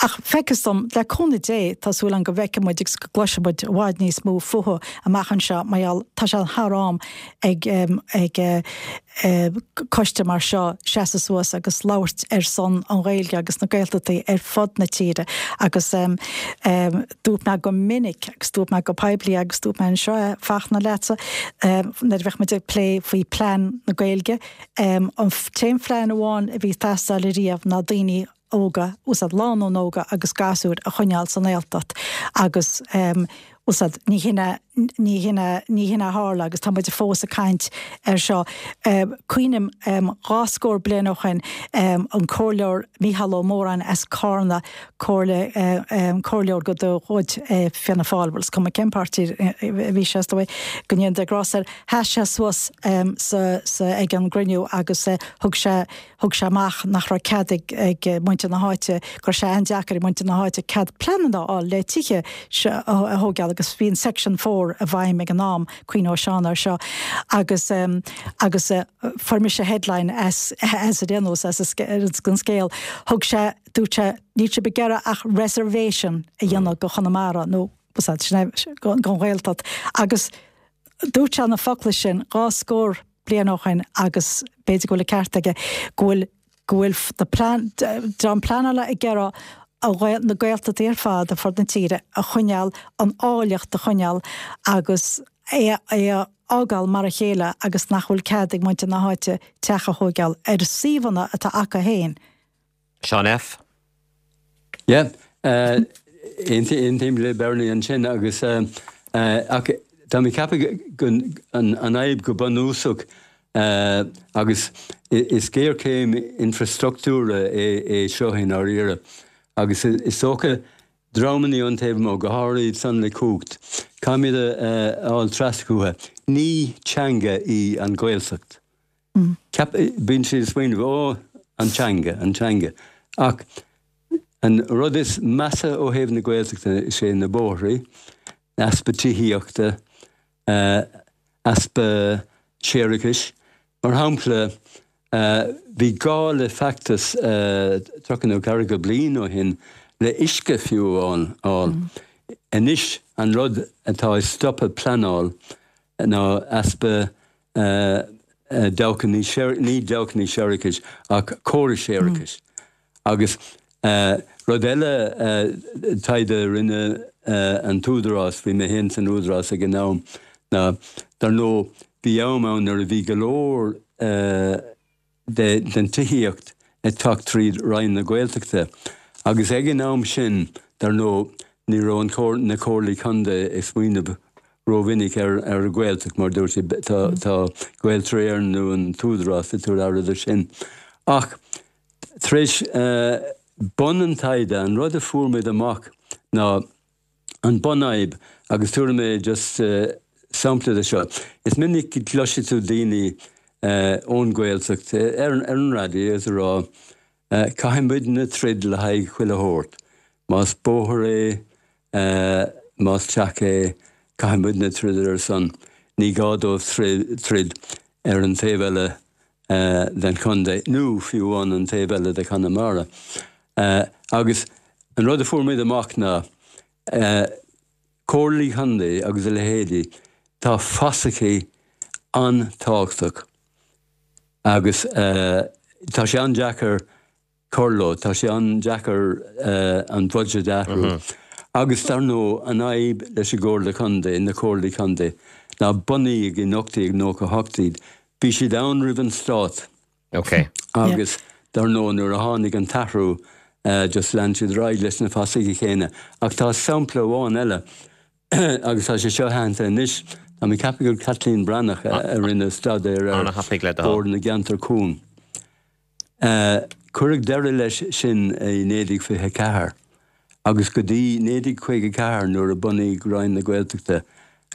ach feictear dom, le cúnamh Dé, tá súil agam go bhfeicfidh muid agus go gcloisfidh muid i bhfad níos mó fúthu amach anseo mar gheall, tá sé thar am ag ag coiste mar seo seasamh suas agus labhairt ar son an Ghaeilge agus na Gaeltachtaí ar fud na tíre agus dúirt mé go minic agus dúirt mé go poiblí agus dúirt mé anseo é, Fachtna, leatsa nuair a bheadh muid ag plé faoi plean na Gaeilge, an t-aon phlean amháin a bhí ag teastáil ariamh ná daoine óga, úsáid lánúin óga agus gasúir a choinneáil sa nGaeltacht agus úsáid ní hin é, ní hin é, ní hin é a tharla agus tá muid fós ag caint air seo. Cuimhním dhá scór bliain ó shin an Comhairleoir Mícheál Ó Móráin as Carna, comhairle, comhairleoir de chuid Fianna Fáil, bhuel is cuma cén páirtí a bhí sé is dóigh, go ndéana Dia grásta air, sheas sé suas sa, sa, ag an gcruinniú agus thug sé, thug sé amach nach raibh cead ag, ag muintir na háite, go raibh sé an-deacair ag muintir na háite cead pleananna a fháil le tithe a thógáil agus bhí an Section Four i bhfeidhm ag an am, cuimhneoidh Seán air seo, agus, agus fuair mise headline as, as ar aon nós, as an scéal, thug sé, dúirt sé, níl sibh ag iarraidh ach reservation a dhéanamh go Chonamara nó don Ghaeltacht agus dúirt sé na focla sin dhá scór bliain ó shin agus b'fhéidir go bhfuil an ceart aige go bhfuil go bhfuil na plean, dream pleanála ag iarraidh na Gaeltachtaí ar fad ar fud na tíre a choinneáil, an áilleacht a choinneáil agus é a fhágáil mar a chéile agus nach bhfuil cead ag muintir na háite teach a thógáil ar suíomhanna atá acu féin. Seán F. Yeah, aontaím le Bernie ansin agus ach tá mé ag ceapadh go an fhadhb go bunúsach agus is géarchéim infreastruchtúra é seo i ndáiríre agus is dócha dreamanna ón taobh amuigh, go háirid iad san le cumhacht, caithfimid a fháil trasna chucu. Ní teanga í an Ghaeltacht. Bíonn siad ag smaoineamh, ó, an teanga, an teanga. Ach an rud is measa ó thaobh na Gaeltachta is é na bóithrí, easpa tithíochta, easpa séarachais. Mar shampla, bhí gá le feachtas tríocha nó ceathracha bliain ó shin le uisce fiú a fháil. Anois an rud atá ag stopadh pleanáil ná easpa dabhchannaí, ní dabhchannaí séarachais ach córais séarachais. Agus rud eile, taighde a rinne an tÚdarás, bhí mé féin san Údarás ag an am, ná dar ndóigh bhí am ann nuair a bhí go leor den tithíocht ag teacht tríd Roinn na Gaeltachta agus ag an am sin, dar ndóigh, ní raibh an na Comhairlí Contae ag smaoineamh rómhinic ar an Ghaeltacht mar dúirt siad tá tá Gaeltarra Éireann nó an tÚdarás ag tabhairt aire de sin. Ach tar éis bun an taighde, an rud a fuair muid amach ná an bunfhadhb agus tabharfaidh mé just sampla de seo. Is minic go gcloisfidh tú daoine ón Ghaeltacht ar an raidió is ag rá caithfidh muidne troid le haghaidh chuile shórt. Más bóthar é, más teach é, caithfidh muidne troid ar a son. Ní gá dóibh troid ar an taobh eile den chontae nó fiú amháin an taobh eile de Chonamara. Agus an rud a fuair muid amach ná comhairlí contae agus a leithéidí, tá fasachaí an-tábhachtach agus tá sé an-deacair cur leo, tá sé an-deacair an budget a athrú. Agus dar ndóigh, an fhadhb leis an gComhairle Contae, na Comhairlí Contae, ná bunaíodh in ocht déag nócha a hocht iad, bhí siad ann roimh an stát. Ok. Agus dar ndóigh, nuair a tháinig an t-athrú, just lean siad ar aghaidh leis na fasachaí céanna. Ach tá sampla amháin eile, agus tá sé seo aitheanta anois, tá mé ag ceapadh gur Caitlín Breathnach a rinne staidéar ar Bhord na gCeantar Cúng. Cuireadh deireadh leis sin i naoi déag fiche a ceathair agus go dtí naoi déag caoga a ceathair nuair a bunaíodh Roinn na Gaeltachta,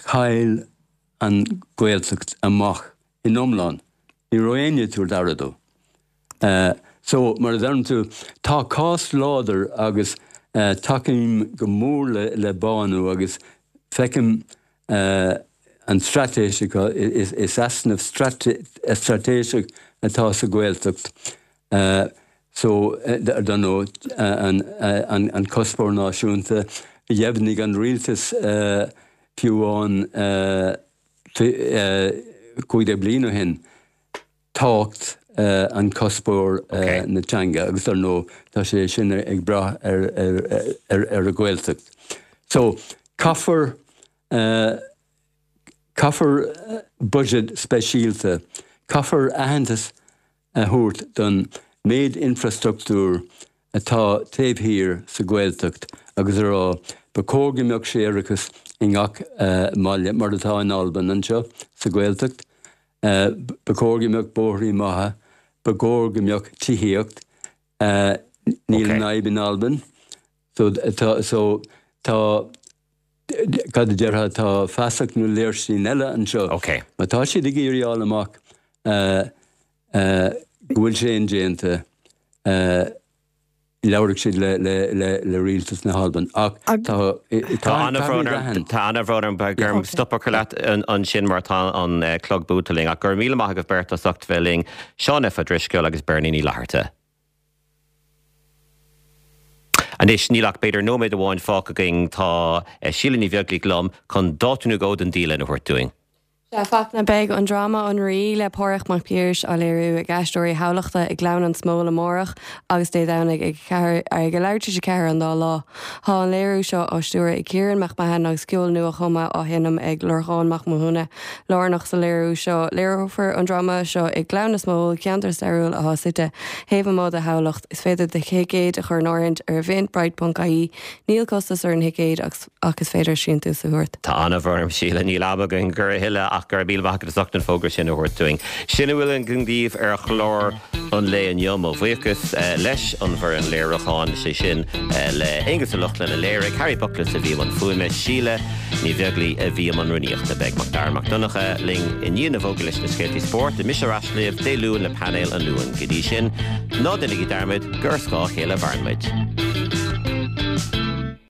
chaill an Ghaeltacht amach in iomlán. Ní raibh éinne ag tabhairt aire dó. So, mar a deireann tú, tá cás láidir agus tacaím go mór le bánú agus feicim an straitéis acu, is easnamh straitéiseach atá sa Ghaeltacht. So, dar ndóigh, an cuspóir náisiúnta, dheimhnigh an rialtas fiú amháin cúig déag bliain ó shin, tábhacht an cuspóir na teanga agus dar ndóigh tá sé sin ag brath ar an Ghaeltacht. So, caithfear caithfear budget speisialta, caithfear aitheantas a thabhairt don méid infrastruchtúr atá taobh thiar sa Ghaeltacht agus a rá ba chóir go mbeadh séarachas i ngach mbaile mar atá in Albain anseo sa Ghaeltacht, ba chóir go mbeadh bóithrí maithe, ba chóir go mbeadh tithíocht, níl an fhadhb in Albain. So tá so tá cad a déarfá tá fasach nó léirstín eile anseo. Má tá siad ag iarraidh fháil amach go bhfuil sé indéanta, labharfaidh siad le le le le rialtas na hAlban. Ach tá Tá an-bhrón orm tá an-bhrón orm beidh orm stop a chur leat ansin mar tá an clog buailte linn. Ach go raibh míle maith agaibh beirt as ucht bheith linn, Seán F. Ó Drisceoil agus Bernie Ní Fhlatharta. Anois, níl ach b'fhéidir nóiméad amháin fágtha againn. Tá Síle Ní Bheaglaoich liom chun dáta nó dhó don dialann a thabhairt dúinn. Sea, a Fachtna, beidh an dráma An Rí le Páraic Mac Piarais á léiriú ag Aisteoirí Thamhlachta i nGleann an Smóil amárach agus Dé Domhnaigh ag a ag a leathuair tar éis a ceathair an dá lá. Tá an léiriú seo á stiúradh ag Ciarán Mac Mahon agus ceol nua-chumtha á sheinm ag Lorcán Mac Mathúna. Lárnach sa léiriú seo. Léireofar an dráma seo i nGleann na Smól, ceantar stairiúil atá suite taobh amuigh de Thamhlacht. Is féidir do thicéid a chur in áirithint ar eventbrite ponc ie. Níl costas ar an thicéad ach is féidir síntiús a thabhairt. Tá an-bhrón orm Síle, níl am againn a thuilleadh ach go raibh míle maith agat as ucht an fógra sin a thabhairt dúinn. Sin a bhfuil againn daoibh ar chlár an lae inniu. Mo bhuíochas leis an bhfoireann léiriúcháin, sé sin le Aonghus Ó Lochlainn a léirigh, Harry Buckless a bhí i mbun fuaime, Síle Ní Bheaglaoich a bhí i mbun rúnaíochta. Beidh Mac Dara Mac Donncha linn i ndiaidh na bhfógraí leis na scéaltaí spóirt. Beidh mise ar ais libh Dé Luain le painéal an Luain. Go dtí sin, ná déanaigí dearmad gur ar scáth a chéile a mhaireann muid.